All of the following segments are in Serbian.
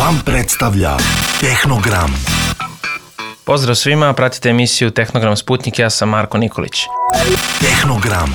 Dram predstavlja Tehnogram. Pozdrav svima, pratite emisiju Tehnogram Sputnik, ja sam Marko Nikolić. Tehnogram.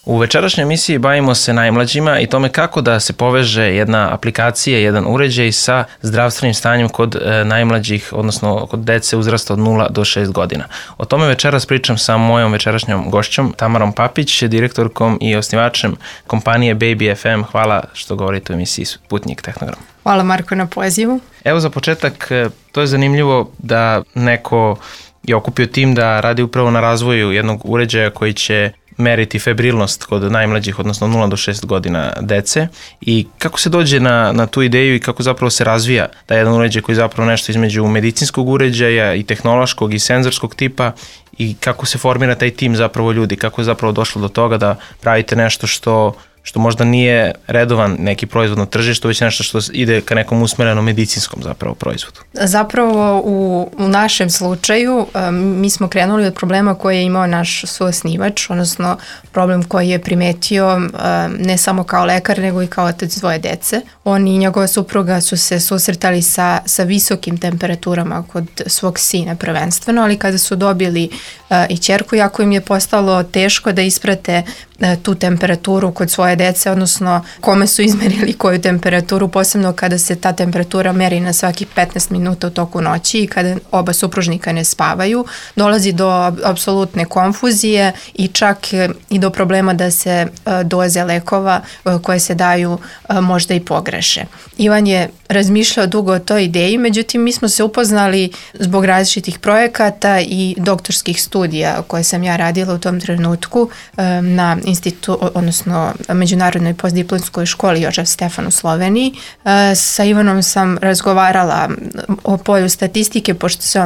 U večerašnjoj emisiji bavimo se najmlađima i tome kako da se poveže jedna aplikacija, jedan uređaj sa zdravstvenim stanjem kod najmlađih, odnosno kod dece uzrasta od 0 do 6 godina. O tome večeras pričam sa mojom večerašnjom gošćom Tamarom Papić, direktorkom i osnivačem kompanije Baby FM. Hvala što govorite u emisiji Sputnik Tehnogram. Hvala Marko na pozivu. Evo za početak, to je zanimljivo da neko je okupio tim da radi upravo na razvoju jednog uređaja koji će meriti febrilnost kod najmlađih, odnosno 0 do 6 godina dece, i kako se dođe na tu ideju i kako zapravo se razvija taj jedan uređaj koji je zapravo nešto između medicinskog uređaja i tehnološkog i senzorskog tipa, i kako se formira taj tim zapravo ljudi, kako je zapravo došlo do toga da pravite nešto što možda nije redovan neki proizvod na tržištu, već nešto što ide ka nekom usmerenom medicinskom zapravo proizvodu. Zapravo u našem slučaju mi smo krenuli od problema koji je imao naš suosnivač, odnosno problem koji je primetio ne samo kao lekar, nego i kao otac dvoje dece. On i njegova supruga su se susretali sa visokim temperaturama kod svog sina prvenstveno, ali kada su dobili i ćerku, jako im je postalo teško da isprate tu temperaturu kod svoje dece, odnosno kome su izmerili koju temperaturu, posebno kada se ta temperatura meri na svakih 15 minuta u toku noći i kada oba supružnika ne spavaju, dolazi do apsolutne konfuzije i čak i do problema da se doze lekova koje se daju možda i pogreše. Ivan je razmišljao dugo o toj ideji, međutim mi smo se upoznali zbog različitih projekata i doktorskih studija koje sam ja radila u tom trenutku na odnosno Međunarodnoj postdiplomskoj školi Jožef Stefan u Sloveniji. Sa Ivanom sam razgovarala o polju statistike, pošto se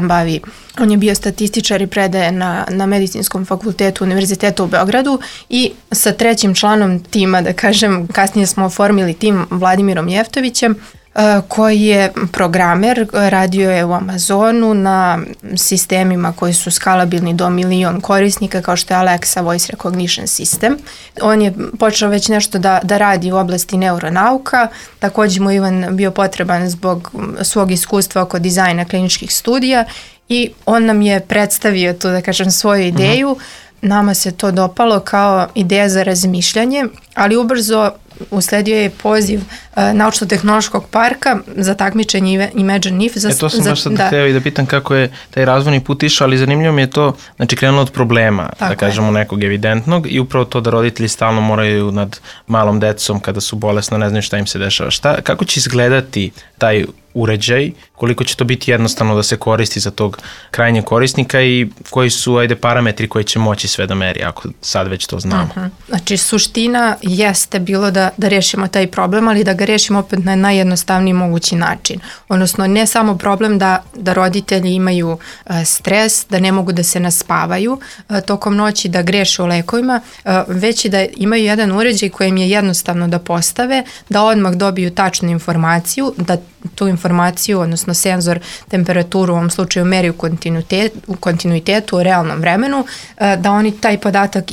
on je bio statističar i predaje na Medicinskom fakultetu Univerziteta u Beogradu, i sa trećim članom tima, da kažem, kasnije smo oformili tim, Vladimirom Jeftovićem, koji je programer, radio je u Amazonu na sistemima koji su skalabilni do 1 milion korisnika, kao što je Alexa Voice Recognition System. On je počeo već nešto da radi u oblasti neuronauka, također mu Ivan bio potreban zbog svog iskustva oko dizajna kliničkih studija i on nam je predstavio tu, da kažem, svoju ideju. Nama se to dopalo kao ideja za razmišljanje, ali ubrzo usledio je poziv Naučno-tehnološkog parka za takmičenje Imagine If. To sam baš sad hteo i da pitam kako je taj razvojni put išao, ali zanimljivo mi je to, znači krenulo od problema, da kažemo nekog evidentnog, i upravo to da roditelji stalno moraju nad malom decom kada su bolesna, ne znaju šta im se dešava. Kako će izgledati taj uređaj, koliko će to biti jednostavno da se koristi za tog krajnjeg korisnika i koji su parametri koji će moći sve da meri, ako sad već to znamo. Znači suština jeste bilo da rešimo taj problem, ali da ga rešimo opet na najjednostavniji mogući način. Odnosno ne samo problem da roditelji imaju stres, da ne mogu da se naspavaju tokom noći, da greše u lekovima, već i da imaju jedan uređaj kojem je jednostavno da postave, da odmah dobiju tačnu informaciju, da tu informaciju, odnosno senzor temperaturu u ovom slučaju meri u kontinuitetu, u realnom vremenu, da oni taj podatak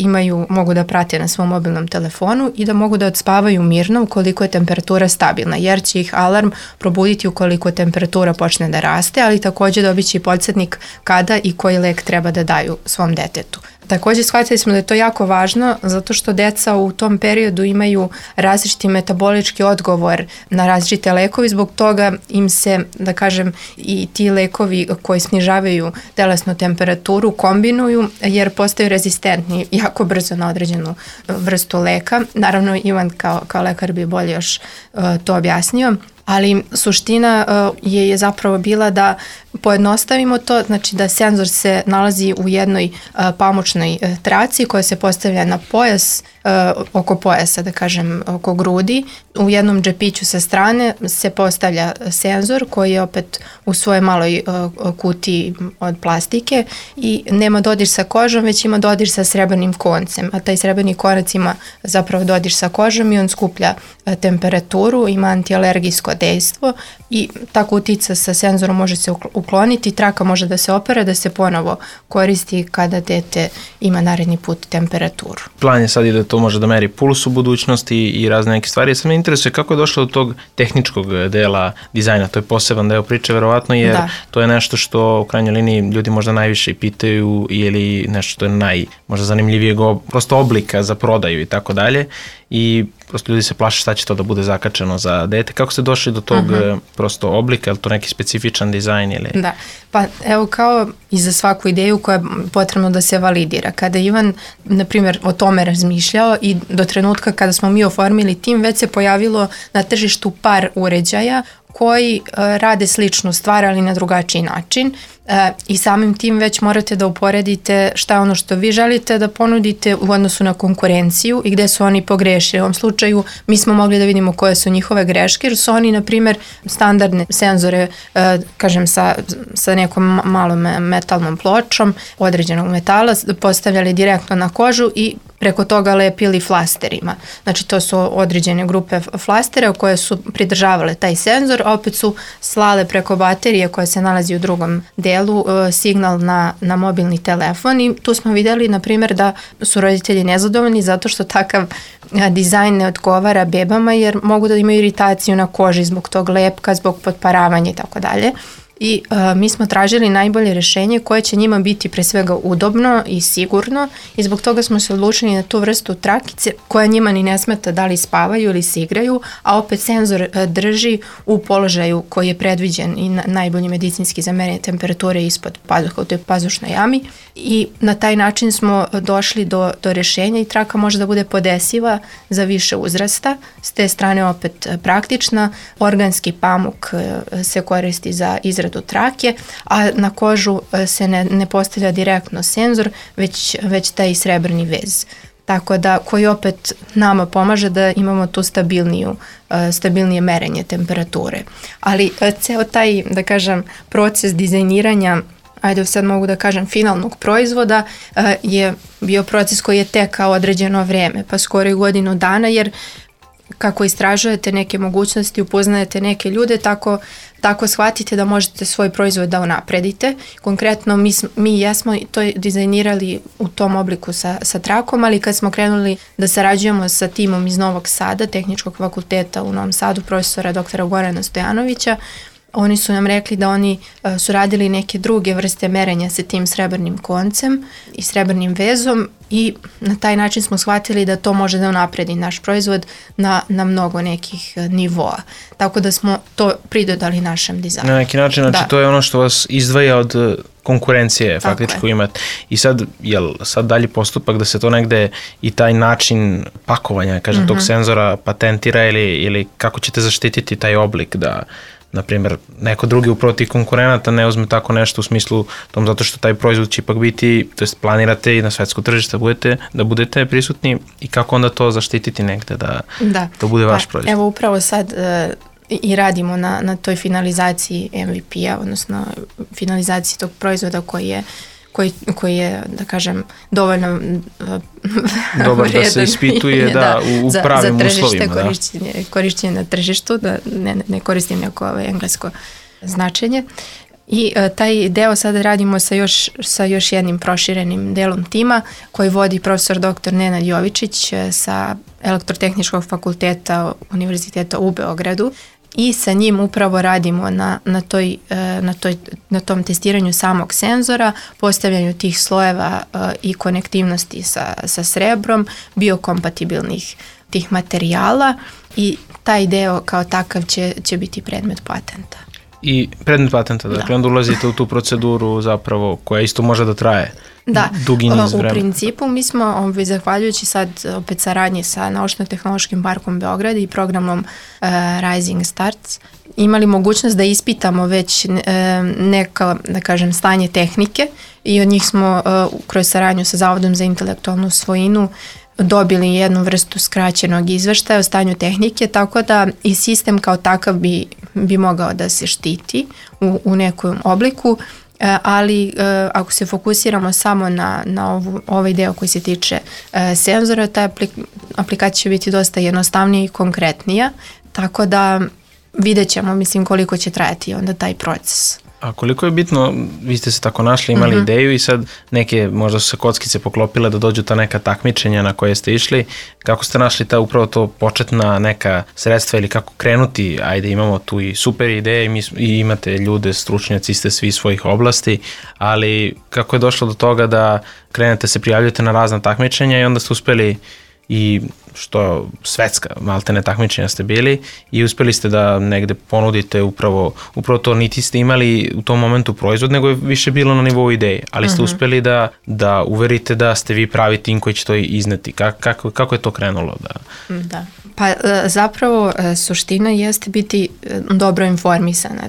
mogu da prate na svom mobilnom telefonu i da mogu da odspavaju mirno ukoliko je temperatura stabilna, jer će ih alarm probuditi ukoliko temperatura počne da raste, ali također dobit će i podsjetnik kada i koji lek treba da daju svom detetu. Također shvatili smo da je to jako važno zato što deca u tom periodu imaju različiti metabolički odgovor na različite lekovi, zbog toga im se, da kažem, i ti lekovi koji snižavaju telesnu temperaturu kombinuju jer postaju rezistentni jako brzo na određenu vrstu leka. Naravno, Ivan kao lekar bi bolje još to objasnio. Ali suština je zapravo bila da pojednostavimo to, znači da senzor se nalazi u jednoj pamučnoj traci koja se postavlja na pojas, oko pojasa, da kažem, oko grudi. U jednom džepiću sa strane se postavlja senzor koji je opet u svojoj maloj kutiji od plastike i nema dodir sa kožom, već ima dodir sa srebrnim koncem, a taj srebrni konac ima zapravo dodir sa kožom i on skuplja temperaturu, ima antialergijsko dejstvo i ta kutica sa senzorom može se ukloniti, traka može da se opere, da se ponovo koristi kada dete ima naredni put temperaturu. Plan je sad i da to može da meri puls u budućnosti i razne neke stvari. Sad me interesuje kako je došlo do tog tehničkog dela dizajna, to je poseban deo priče verovatno, jer to je nešto što u krajnjoj liniji ljudi možda najviše pitaju ili nešto što je možda zanimljivijeg prosto oblika za prodaju i tako dalje i prosto ljudi se plaše šta će to da bude zakačeno za dete. Kako ste došli do tog prosto oblika, je li to neki specifičan dizajn ili... Da, pa evo kao i za svaku ideju koja je potrebno da se validira. Kada Ivan, na primjer, o tome razmišljao i do trenutka kada smo mi oformili tim, već se pojavilo na tržištu par uređaja koji rade sličnu stvar, ali na drugačiji način i samim tim već morate da uporedite šta je ono što vi želite da ponudite u odnosu na konkurenciju i gde su oni pogrešili. U ovom slučaju mi smo mogli da vidimo koje su njihove greške, jer su oni, na primjer, standardne senzore, kažem, sa nekom malom metalnom pločom određenog metala postavljali direktno na kožu i preko toga lepili flasterima. Znači to su određene grupe flastera koje su pridržavale taj senzor, a opet su slale preko baterije koja se nalazi u drugom delu signal na mobilni telefon i tu smo vidjeli, na primjer, da su roditelji nezadovoljni zato što takav dizajn ne odgovara bebama jer mogu da imaju iritaciju na koži zbog tog lepka, zbog potparavanja i tako dalje. I mi smo tražili najbolje rješenje koje će njima biti pre svega udobno i sigurno i zbog toga smo se odlučili na tu vrstu trakice koja njima ni ne smeta da li spavaju ili se igraju, a opet senzor drži u položaju koji je predviđen i najbolji medicinski za merenje temperature ispod pazuha u toj pazušnoj jami i na taj način smo došli do rješenja i traka može da bude podesiva za više uzrasta, s te strane opet praktična, organski pamuk se koristi za izradu trake, a na kožu se ne postavlja direktno senzor, već taj srebrni vez. Tako da, koji opet nama pomaže da imamo tu stabilnije merenje temperature. Ali ceo taj, da kažem, proces dizajniranja, ajde sad mogu da kažem, finalnog proizvoda je bio proces koji je tekao određeno vreme, pa skoro i godinu dana, jer kako istražujete neke mogućnosti, upoznajete neke ljude, tako shvatite da možete svoj proizvod da unapredite. Konkretno mi jesmo to dizajnirali u tom obliku sa trakom, ali kad smo krenuli da sarađujemo sa timom iz Novog Sada, Tehničkog fakulteta u Novom Sadu, profesora doktora Gorana Stojanovića, oni su nam rekli da oni su radili neke druge vrste merenja sa tim srebrnim koncem i srebrnim vezom i na taj način smo shvatili da to može da unapredi naš proizvod na mnogo nekih nivoa. Tako da smo to pridodali našem dizajnu. Na neki način, znači to je ono što vas izdvaja od konkurencije faktičko imate. I sad, jel sad dalji postupak da se to negde i taj način pakovanja, kažem, tog senzora patentira ili kako ćete zaštititi taj oblik da, na primjer, neko drugi upravo tih konkurenata ne uzme tako nešto u smislu tom zato što taj proizvod će ipak biti, to jest planirate i na svetsko tržište da budete prisutni i kako onda to zaštititi negde da to bude vaš proizvod. Evo upravo sad i radimo na toj finalizaciji MVP-a, odnosno finalizaciji tog proizvoda koji je, da kažem, dovoljno dobar da se ispituje u pravim uslovima. Za korišćenje na tržištu, da ne koristim neko englesko značenje. I taj deo sada radimo sa još jednim proširenim delom tima koji vodi profesor dr. Nenad Jovičić sa Elektrotehničkog fakulteta Univerziteta u Beogradu. I sa njim upravo radimo na tom testiranju samog senzora, postavljanju tih slojeva i konektivnosti sa srebrom, biokompatibilnih tih materijala i taj deo kao takav će biti predmet patenta. I predmet patenta, dakle onda ulazite u tu proceduru zapravo koja isto može da traje dugi niz vremena. U principu mi smo, zahvaljujući sad opet saradnji sa Naučno-tehnološkim parkom Beograd i programom Rising Starts, imali mogućnost da ispitamo već neka, da kažem, stanje tehnike i od njih smo kroz saradnju sa Zavodom za intelektualnu svojinu dobili jednu vrstu skraćenog izveštaja o stanju tehnike, tako da i sistem kao takav bi mogao da se štiti u nekom obliku, ali ako se fokusiramo samo na ovaj deo koji se tiče senzora, ta aplikacija će biti dosta jednostavnija i konkretnija, tako da vidjet ćemo, mislim, koliko će trajati onda taj proces. A koliko je bitno, vi ste se tako našli, imali ideju i sad neke, možda su se kockice poklopile da dođu ta neka takmičenja na koje ste išli. Kako ste našli upravo to početna neka sredstva ili kako krenuti? Ajde, imamo tu i super ideje i imate ljude, stručnjaci ste svi svojih oblasti, ali kako je došlo do toga da krenete se prijavljujete na razna takmičenja i onda ste uspeli i što svetska maltene takmičenja ste bili i uspeli ste da negde ponudite upravo to, niti ste imali u tom momentu proizvod, nego je više bilo na nivou ideje, ali ste uspeli da uverite da ste vi pravi tim koji će to izneti. Kako je to krenulo? Da. Pa zapravo suština jeste biti dobro informisan.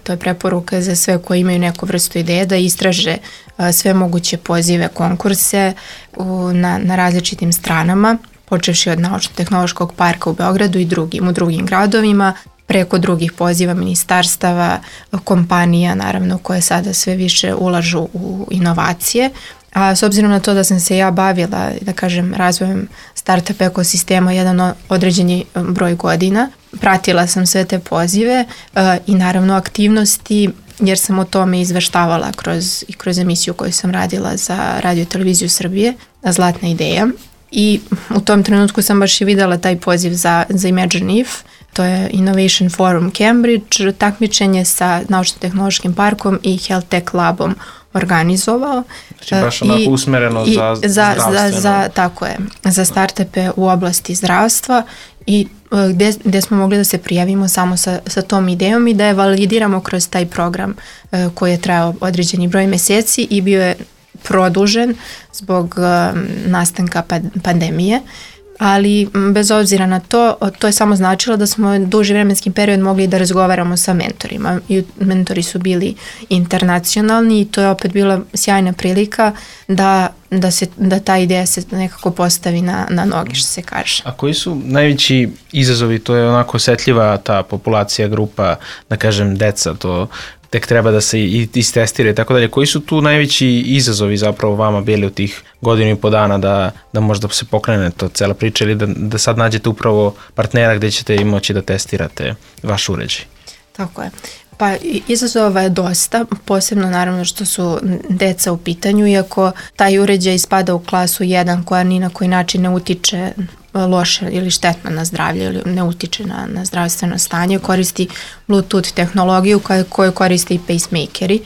To je preporuka za sve koji imaju neku vrstu ideje da istraže sve moguće pozive, konkurse na različitim stranama, počevši od Naučno-tehnološkog parka u Beogradu i u drugim gradovima, preko drugih poziva ministarstava, kompanija naravno koje sada sve više ulažu u inovacije. A s obzirom na to da sam se ja bavila, da kažem, razvojem startup ekosistema jedan određeni broj godina, pratila sam sve te pozive i naravno aktivnosti, jer sam o tome izveštavala kroz emisiju koju sam radila za Radio i televiziju Srbije, Zlatna ideja. I u tom trenutku sam baš i videla taj poziv za Imagine If, to je Innovation Forum Cambridge, takmičenje sa Naučno-tehnološkim parkom i Health Tech Labom organizovao. Znači baš onako usmereno za zdravstveno. Tako je, za startupe u oblasti zdravstva i gde smo mogli da se prijavimo samo sa tom idejom i da je validiramo kroz taj program koji je trajao određeni broj meseci i bio je produžen zbog nastanka pandemije, ali bez obzira na to je samo značilo da smo duži vremenski period mogli da razgovaramo sa mentorima i mentori su bili internacionalni i to je opet bila sjajna prilika da ta ideja se nekako postavi na noge, što se kaže. A koji su najveći izazovi? To je onako osetljiva ta populacija, grupa, da kažem deca, to tek treba da se istestira i tako dalje. Koji su tu najveći izazovi zapravo vama bili u tih godinu i po dana da možda se pokrene to cela priča ili da sad nađete upravo partnera gde ćete i moći da testirate vaš uređaj? Tako je. Pa izazova je dosta, posebno naravno što su deca u pitanju, iako taj uređaj spada u klasu 1 koja ni na koji način ne utiče loše ili štetno na zdravlje ili ne utiče na zdravstveno stanje, koristi Bluetooth tehnologiju koju koriste i pacemakeri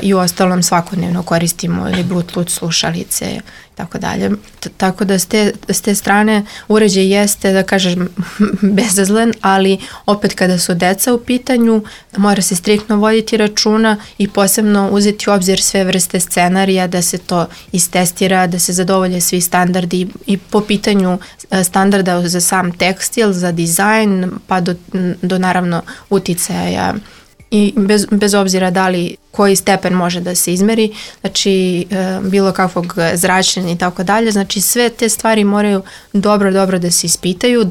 i u ostalom svakodnevno koristimo ili Bluetooth slušalice i tako dalje. Tako da s te strane uređaj jeste, da kažem, bezazlen, ali opet kada su deca u pitanju mora se striktno voditi računa i posebno uzeti u obzir sve vrste scenarija da se to istestira, da se zadovolje svi standardi i po pitanju standarda za sam tekstil, za dizajn, pa do naravno uticaja i bez obzira da li koji stepen može da se izmeri, znači bilo kakvog zračenja i tako dalje, znači sve te stvari moraju dobro da se ispitaju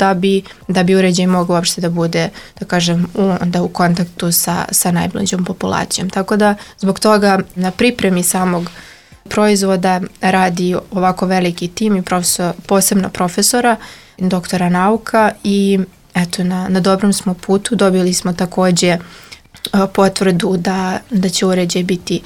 da bi uređaj mogao uopšte da bude, da kažem, u kontaktu sa najmlađom populacijom. Tako da zbog toga na pripremi samog proizvoda radi ovako veliki tim i posebno profesora, doktora nauka i eto na dobrom smo putu. Dobili smo takođe potvrdu da će uređaj biti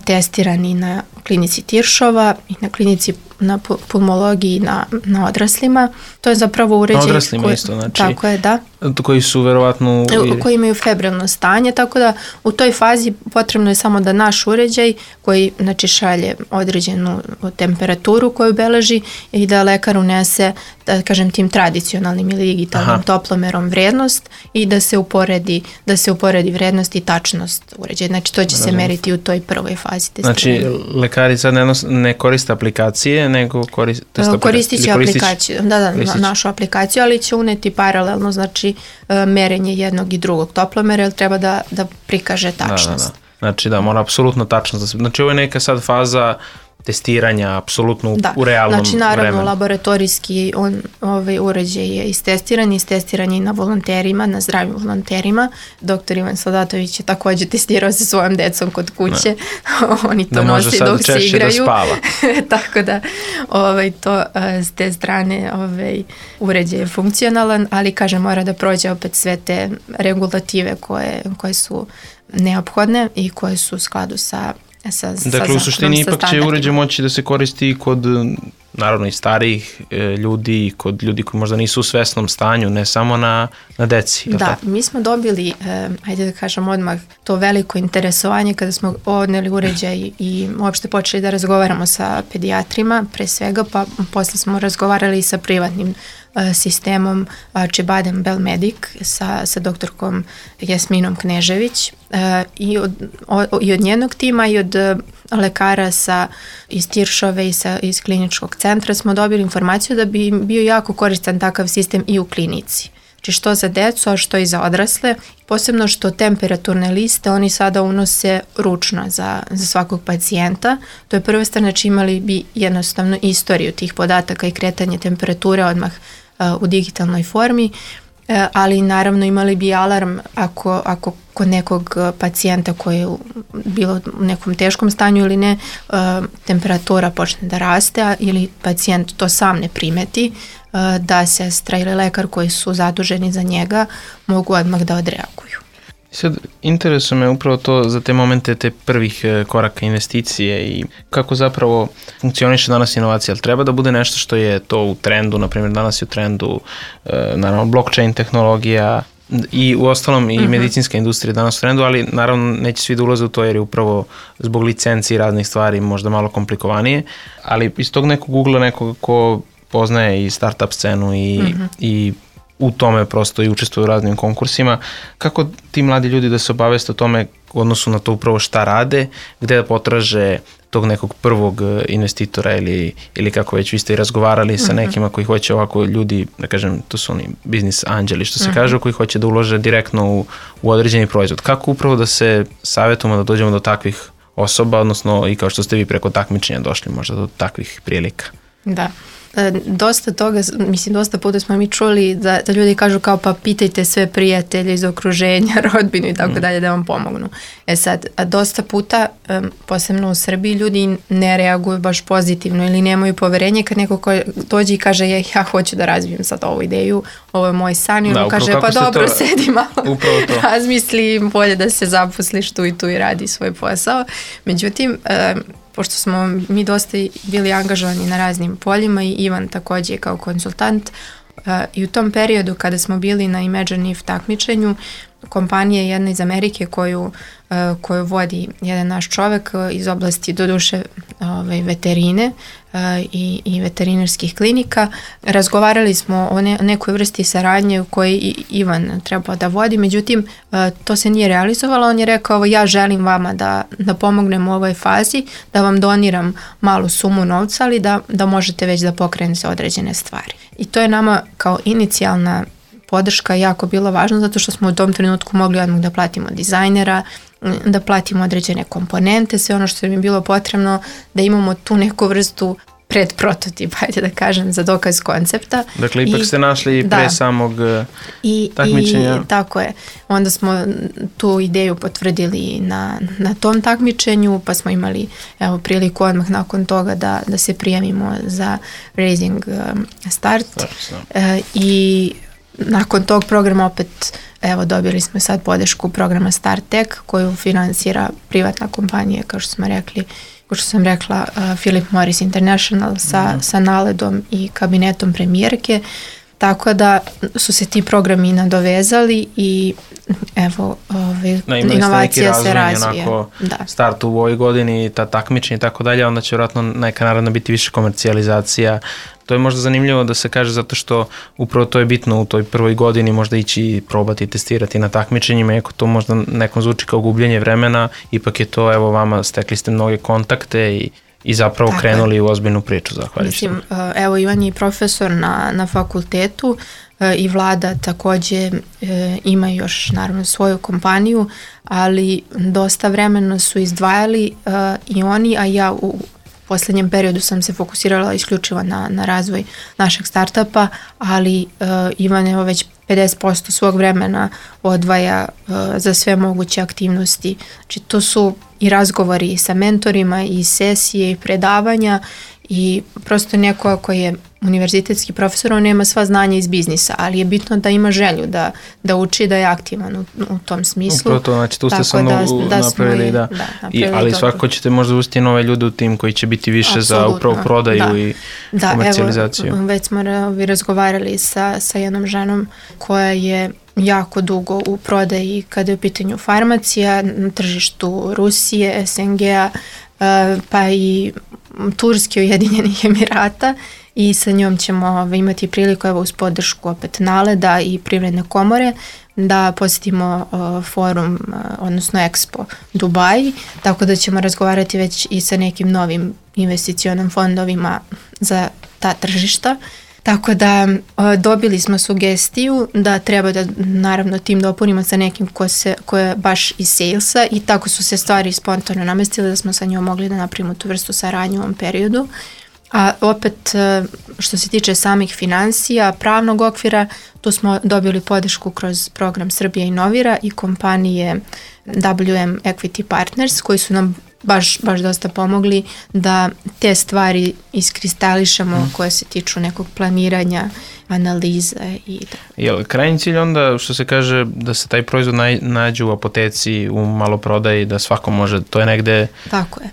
testiran i na klinici Tiršova i na klinici na pulmologiji na odraslima. To je zapravo uređaj... Na odraslima isto, znači... Tako je, da. Koji su verovatno... Koji imaju febrilno stanje, tako da u toj fazi potrebno je samo da naš uređaj koji znači šalje određenu temperaturu koju beleži i da lekar unese, da kažem, tim tradicionalnim ili digitalnim toplomerom vrednost i da se uporedi vrednost i tačnost uređaja. Znači to će se meriti u toj prvoj fazi testiranja. Znači lekari sad ne koriste aplikacije, nego koristit će aplikaciju, našu aplikaciju, ali će uneti paralelno, znači merenje jednog i drugog toplomera, jer treba da prikaže tačnost. Znači da, mora apsolutno tačnost. Znači ovo je neka sad faza testiranja apsolutno u realnom vremenu. Znači naravno laboratorijski uređaj je istestiran je na volonterima, na zdravim volonterima. Doktor Ivan Saldatović je takođe testirao sa svojom decom kod kuće. Oni to nose dok se igraju. Da može sad češće da spava. Tako da to s te strane uređaj je funkcionalan, ali kažem mora da prođe opet sve te regulative koje su neophodne i koje su u skladu sa dakle, u suštini ipak će uređaj moći da se koristi i kod, naravno, i starijih ljudi, i kod ljudi koji možda nisu u svesnom stanju, ne samo na deci. Da, mi smo dobili, ajde da kažem odmah, to veliko interesovanje kada smo odneli uređaj i uopšte počeli da razgovaramo sa pedijatrima, pre svega, pa posle smo razgovarali i sa privatnim sistemom Acıbadem Belmedic sa doktorkom Jasminom Knežević i od njenog tima i od lekara iz Tiršove i iz kliničkog centra smo dobili informaciju da bi bio jako koristan takav sistem i u klinici. Znači što za decu, a što i za odrasle. Posebno što temperaturne liste oni sada unose ručno za svakog pacijenta. To je prva stvar, znači imali bi jednostavno istoriju tih podataka i kretanje temperature odmah u digitalnoj formi, ali naravno imali bi alarm ako kod nekog pacijenta koji je bilo u nekom teškom stanju ili ne, temperatura počne da raste ili pacijent to sam ne primeti, da sestra ili lekar koji su zaduženi za njega mogu odmah da odreaguju. Sad, interesuje me upravo to za te momente, te prvih koraka investicije i kako zapravo funkcioniše danas inovacija. Ali treba da bude nešto što je to u trendu, na primjer danas je u trendu naravno blockchain tehnologija i u ostalom i medicinska industrija danas u trendu, ali naravno neće svi da ulaze u to jer je upravo zbog licenci i raznih stvari možda malo komplikovanije, ali iz tog nekog ugla nekoga ko poznaje i startup scenu i u tome prosto i učestvuju u raznim konkursima. Kako ti mladi ljudi da se obaveste o tome u odnosu na to upravo šta rade, gde da potraže tog nekog prvog investitora ili kako već vi ste i razgovarali sa nekima koji hoće ovako ljudi, da kažem, to su oni biznis anđeli što se kažu, koji hoće da ulože direktno u određeni proizvod. Kako upravo da se savjetujemo da dođemo do takvih osoba, odnosno i kao što ste vi preko takmičenja došli možda do takvih prilika? Da. Dosta toga, mislim dosta puta smo mi čuli da ljudi kažu kao pa pitajte sve prijatelje iz okruženja, rodbinu i tako dalje da vam pomognu. Sad, dosta puta, posebno u Srbiji, ljudi ne reaguju baš pozitivno ili nemaju poverenje kad neko dođe i kaže ja hoću da razvijem sad ovu ideju, ovo je moj san i on kaže pa dobro, sedi malo, razmisli, bolje da se zaposliš tu i radi svoj posao. Međutim, pošto smo mi dosta bili angažovani na raznim poljima i Ivan takođe kao konsultant i u tom periodu kada smo bili na Imagine If takmičenju, kompanija jedna iz Amerike koju vodi jedan naš čovek iz oblasti doduše veterine i veterinarskih klinika. Razgovarali smo o nekoj vrsti saradnje u kojoj Ivan trebao da vodi, međutim to se nije realizovalo. On je rekao ja želim vama da pomognem u ovoj fazi, da vam doniram malu sumu novca, ali da možete već da pokrenete određene stvari. I to je nama kao inicijalna podrška jako bilo važno zato što smo u tom trenutku mogli odmah da platimo dizajnera, da platimo određene komponente, sve ono što nam je bilo potrebno, da imamo tu neku vrstu predprototipa, ajde da kažem, za dokaz koncepta. Dakle, ipak ste našli pre samog takmičenja. I tako je. Onda smo tu ideju potvrdili na tom takmičenju, pa smo imali priliku odmah nakon toga da se prijavimo za Raising Start. I nakon tog programa opet dobili smo sad podršku programa StartTech koju finansira privatna kompanija, kao što sam rekla, Philip Morris International sa naledom i kabinetom premijerke, tako da su se ti programi nadovezali i inovacija se razvije. Start u ovoj godini, ta takmičenja i tako dalje, onda će vjerojatno neka naravno biti više komercijalizacija. To je možda zanimljivo da se kaže zato što upravo to je bitno u toj prvoj godini možda ići probati, testirati na takmičenjima, iako to možda nekom zvuči kao gubljenje vremena, ipak je to, evo vama, stekli ste mnoge kontakte i zapravo krenuli u ozbiljnu priču, zahvaljujući. Mislim, evo Ivan je profesor na fakultetu i Vlada takođe ima još naravno svoju kompaniju, ali dosta vremena su izdvajali i oni, a ja posljednjem periodu sam se fokusirala isključivo na razvoj našeg startupa, ali Ivan je već 50% svog vremena odvaja za sve moguće aktivnosti. Znači to su i razgovori sa mentorima, i sesije, i predavanja, i prosto neko koji je univerzitetski profesor, on nema sva znanja iz biznisa, ali je bitno da ima želju da uči, da je aktivan u tom smislu. Upravo to, znači tu ste sam napravili, ali svakako ćete možda ustiti nove ljude u tim koji će biti više Absolutno, za upravo prodaju i komercijalizaciju. Evo, već smo razgovarali sa jednom ženom koja je jako dugo u prodaji kada je u pitanju farmacija, na tržištu Rusije, SNG-a, pa i Turske, Ujedinjenih Emirata, i sa njom ćemo imati priliku, evo uz podršku opet Naleda i Privredne komore, da posjetimo forum, odnosno Expo Dubai, tako da ćemo razgovarati već i sa nekim novim investicionim fondovima za ta tržišta. Tako da dobili smo sugestiju da treba da naravno tim dopunimo sa nekim ko je baš iz salesa, i tako su se stvari spontano namestile da smo sa njom mogli da napravimo tu vrstu saradnje u ovom periodu. A opet što se tiče samih financija, pravnog okvira, tu smo dobili podršku kroz program Srbija inovira i kompanije WM Equity Partners, koji su nam baš dosta pomogli da te stvari iskristališemo koje se tiču nekog planiranja, analize i tako. Jel krajnji cilj onda, što se kaže, da se taj proizvod nađe u apoteci, u maloprodaji, da svako može, to je negde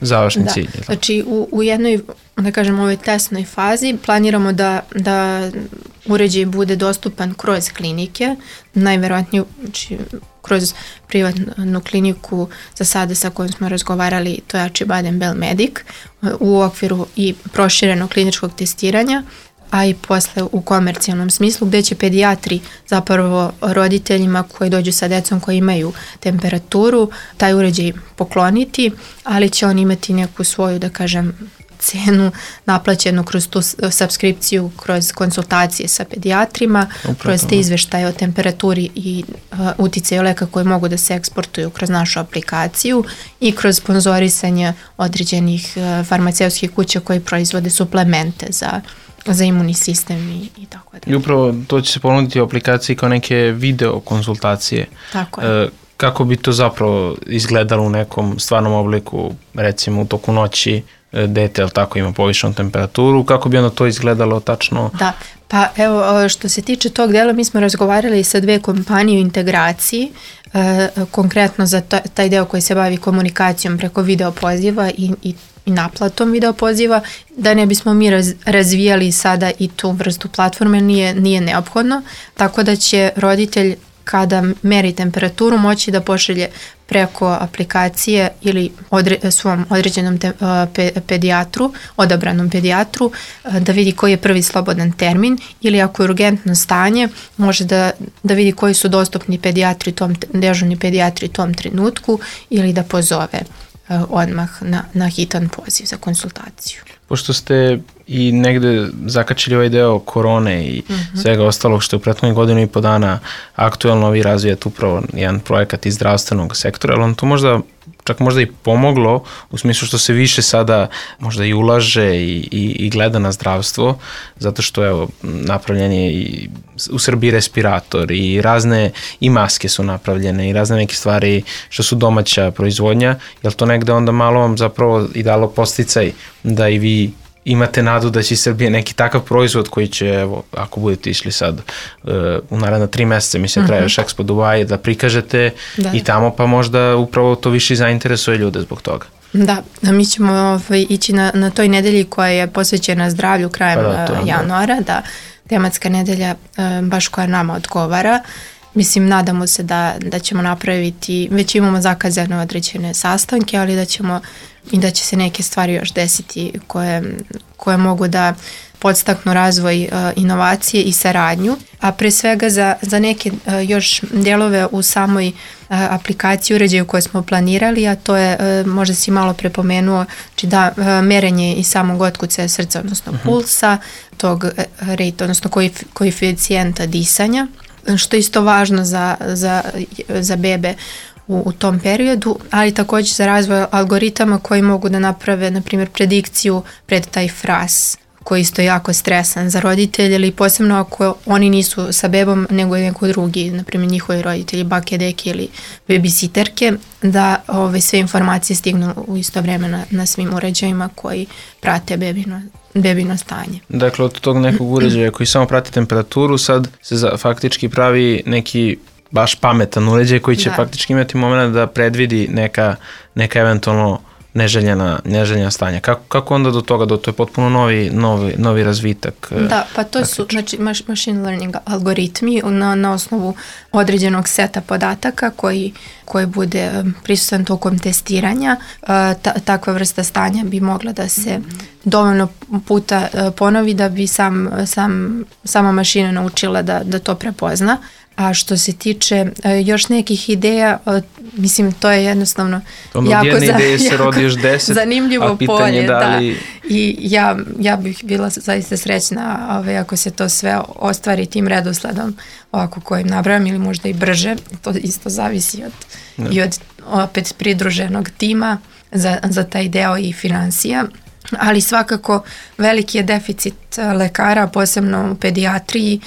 završni cilj? Znači u jednoj, da kažem, ovoj testnoj fazi planiramo da uređaj bude dostupan kroz klinike, najverovatnije kroz privatnu kliniku za sada sa kojom smo razgovarali, to je Acıbadem Belmedik, u okviru i proširenog kliničkog testiranja, a i posle u komercijalnom smislu, gde će pedijatri zapravo roditeljima koji dođu sa decom koji imaju temperaturu taj uređaj pokloniti, ali će on imati neku svoju, da kažem, cenu naplaćenu kroz tu subskripciju, kroz konsultacije sa pedijatrima, kroz te izveštaje o temperaturi i uticaju leka koji mogu da se eksportuju kroz našu aplikaciju i kroz sponzorisanje određenih farmaceutskih kuća koji proizvode suplemente za imunni sistem i tako da. I upravo to će se ponuditi u aplikaciji kao neke video konsultacije. Tako je. Kako bi to zapravo izgledalo u nekom stvarnom obliku, recimo u toku noći, dete, ali tako, ima povišenu temperaturu, kako bi onda to izgledalo tačno? Da, pa evo, što se tiče tog dela, mi smo razgovarali sa 2 kompanije u integraciji, konkretno za taj deo koji se bavi komunikacijom preko video poziva i naplatom video poziva, da ne bismo mi razvijali sada i tu vrstu platforme, nije neophodno, tako da će roditelj kada meri temperaturu moći da pošalje preko aplikacije ili svom određenom pedijatru, odabranom pedijatru, da vidi koji je prvi slobodan termin, ili ako je urgentno stanje, može da vidi koji su dostupni pedijatri, dežurni pedijatri u tom trenutku, ili da pozove odmah na hitan poziv za konsultaciju. Pošto ste i negde zakačili ovaj deo korone i svega ostalog što je u prethodnih godinu i po dana aktuelno, vi razvijate upravo jedan projekat iz zdravstvenog sektora, ali on to čak možda i pomoglo u smislu što se više sada možda i ulaže i gleda na zdravstvo, zato što evo napravljen je i u Srbiji respirator i razne i maske su napravljene i razne neke stvari što su domaća proizvodnja, jel to negde onda malo vam zapravo i dalo posticaj da i vi imate nadu da će iz Srbije neki takav proizvod koji će, evo, ako budete išli sad u naredna 3 meseca, mislim, traje još Expo Dubai, da prikažete i tamo, pa možda upravo to više zainteresuje ljude zbog toga. Da, mi ćemo ići na toj nedelji koja je posvećena zdravlju krajem januara, tematska nedelja baš koja nama odgovara. Mislim, nadamo se da ćemo napraviti, već imamo zakazane određene sastanke, ali da će se neke stvari još desiti koje mogu da podstaknu razvoj inovacije i saradnju, a pre svega za neke još dijelove u samoj aplikaciji uređaju koje smo planirali, a to je, možda si malo prepomenuo, znači merenje i samog otkucaja srca, odnosno pulsa, tog rate, odnosno koeficijenta disanja, što je isto važno za bebe u tom periodu, ali također za razvoj algoritama koji mogu da naprave, na primjer, predikciju pred taj fras, koji je isto jako stresan za roditelje, ili posebno ako oni nisu sa bebom, nego je neko drugi, na primjer njihovi roditelji, bake, deke ili babysitterke, da sve informacije stignu u isto vreme na svim uređajima koji prate bebino stanje. Dakle, od tog nekog uređaja koji samo prati temperaturu, sad se faktički pravi neki baš pametan uređaj koji će faktički imati moment da predvidi neka eventualno neželjena stanja. Kako onda do toga, to je potpuno novi razvitak? Da, pa to su znači machine learning algoritmi na osnovu određenog seta podataka koji bude prisutan tokom testiranja. Takva vrsta stanja bi mogla da se dovoljno puta ponovi da bi sama mašina naučila da to prepozna. A što se tiče još nekih ideja, mislim, to je jednostavno zanimljivo polje. I ja bih bila zaista srećna ako se to sve ostvari tim redosledom ovako kojim nabrajam, ili možda i brže. To isto zavisi i od opet pridruženog tima za taj deo i financija. Ali svakako veliki je deficit lekara, posebno u pedijatriji.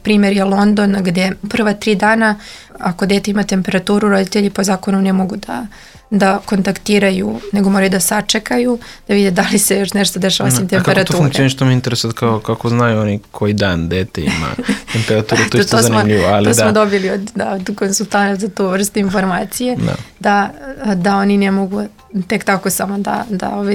Primjer je London, gdje prva 3 dana, ako dete ima temperaturu, roditelji po zakonu ne mogu da kontaktiraju, nego moraju da sačekaju, da vide da li se još nešto dešava osim temperature. A kako to funkcioniš, što mi interesuje, kako znaju oni koji dan dete ima temperaturu, to je isto zanimljivo. To smo dobili od konsultanta za tu vrstu informacije, da oni ne mogu tek tako samo da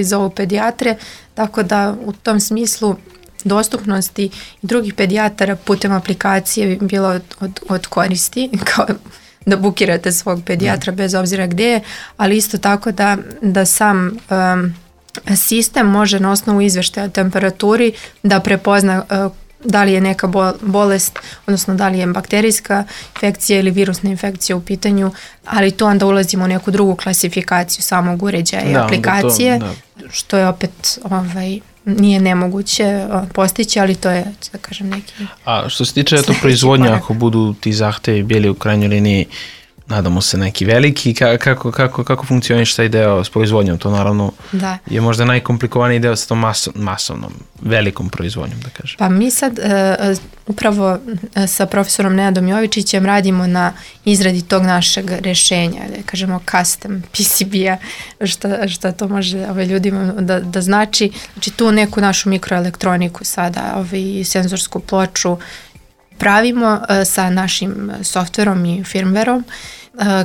zovu pedijatre, tako da u tom smislu dostupnosti i drugih pedijatara putem aplikacije bi bilo od koristi, kao da bukirate svog pedijatra bez obzira gdje je, ali isto tako da sam sistem može na osnovu izvještaja o temperaturi da prepozna da li je neka bolest, odnosno da li je bakterijska infekcija ili virusna infekcija u pitanju, ali to onda ulazimo u neku drugu klasifikaciju samog uređaja i aplikacije, što je opet nije nemoguće postići, ali to je, da kažem, neki... A što se tiče proizvodnja, ako budu ti zahtevi bili u krajnjoj liniji, nadamo se neki veliki, kako funkcioniš taj deo s proizvodnjom? To naravno je možda najkomplikovaniji deo sa tom masovnom, velikom proizvodnjom, da kažem. Pa mi sad upravo sa profesorom Nenadom Jovičićem radimo na izradi tog našeg rješenja, da kažemo custom PCB-a, što to može ljudima da znači. Znači tu neku našu mikroelektroniku sada, senzorsku ploču, pravimo sa našim softverom i firmwareom.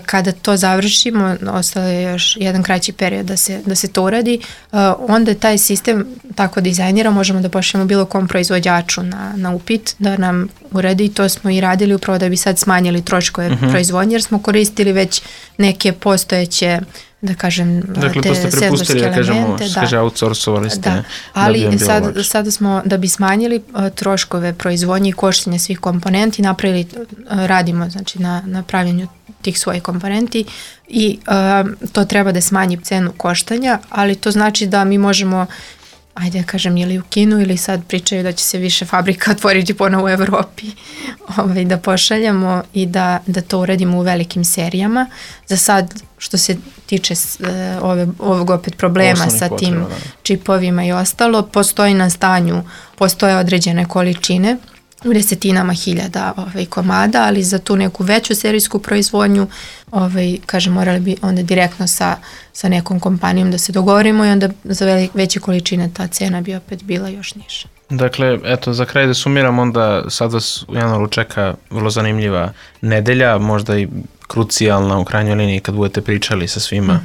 Kada to završimo, ostalo je još jedan kraći period da se to uradi, onda taj sistem tako dizajnira, možemo da pošaljemo bilo kom proizvođaču na upit da nam uredi. To smo i radili upravo da bi sad smanjili troškove proizvodnje, jer smo koristili već neke postojeće, da kažem, te senzorske elemente. Outsourcovali ste. Da. Ali sada smo, da bi smanjili troškove proizvodnje i koštanje svih komponenti, radimo znači na pravljenju tih svojih komponenti i to treba da smanji cenu koštanja, ali to znači da mi možemo, ajde da kažem, ili u Kinu, ili sad pričaju da će se više fabrika otvoriti ponovo u Evropi, da pošaljamo i da to uradimo u velikim serijama. Za sad, što se tiče ovog opet problema sa tim čipovima i ostalo, postoji na stanju, postoje određene količine u desetinama hiljada komada, ali za tu neku veću serijsku proizvodnju, kažem, morali bi onda direktno sa nekom kompanijom da se dogovorimo i onda za veće količine ta cena bi opet bila još niža. Dakle, eto, za kraj da sumiram, onda sad vas u januaru čeka vrlo zanimljiva nedelja, možda i krucijalna u krajnjoj liniji kad budete pričali sa svima.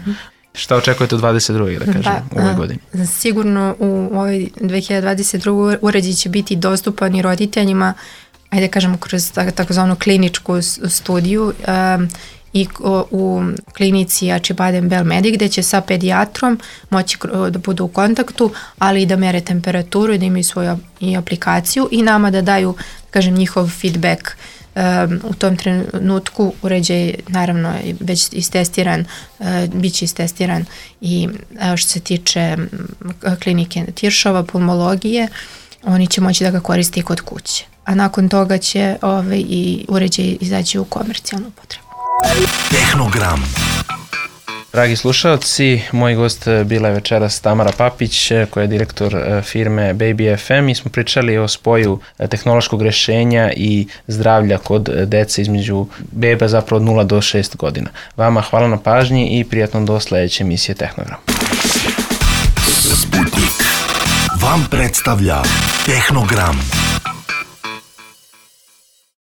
Šta očekujete od 22. da kažem, u ovoj godini? Sigurno u ovoj 2022. uređaj će biti dostupan i roditeljima, ajde kažemo, kroz takozvanu kliničku studiju i u klinici Acıbadem Belmedi, gdje će sa pedijatrom moći da budu u kontaktu, ali i da mere temperaturu i da imaju svoju i aplikaciju i nama da daju, kažem, njihov feedback. U tom trenutku uređaj naravno je već istestiran, bit će istestiran i što se tiče klinike Tiršova, pulmologije, oni će moći da ga koriste i kod kuće. A nakon toga će i uređaj izaći u komercijalnu upotrebu. Tehnogram. Dragi slušalci, moj gost bila je večeras Tamara Papić, koja je direktor firme Baby FM. Mi smo pričali o spoju tehnološkog rešenja i zdravlja kod dece između beba zapravo od 0 do 6 godina. Vama hvala na pažnji i prijatno do sledeće emisije Tehnogram. Sputnik vam predstavlja Tehnogram.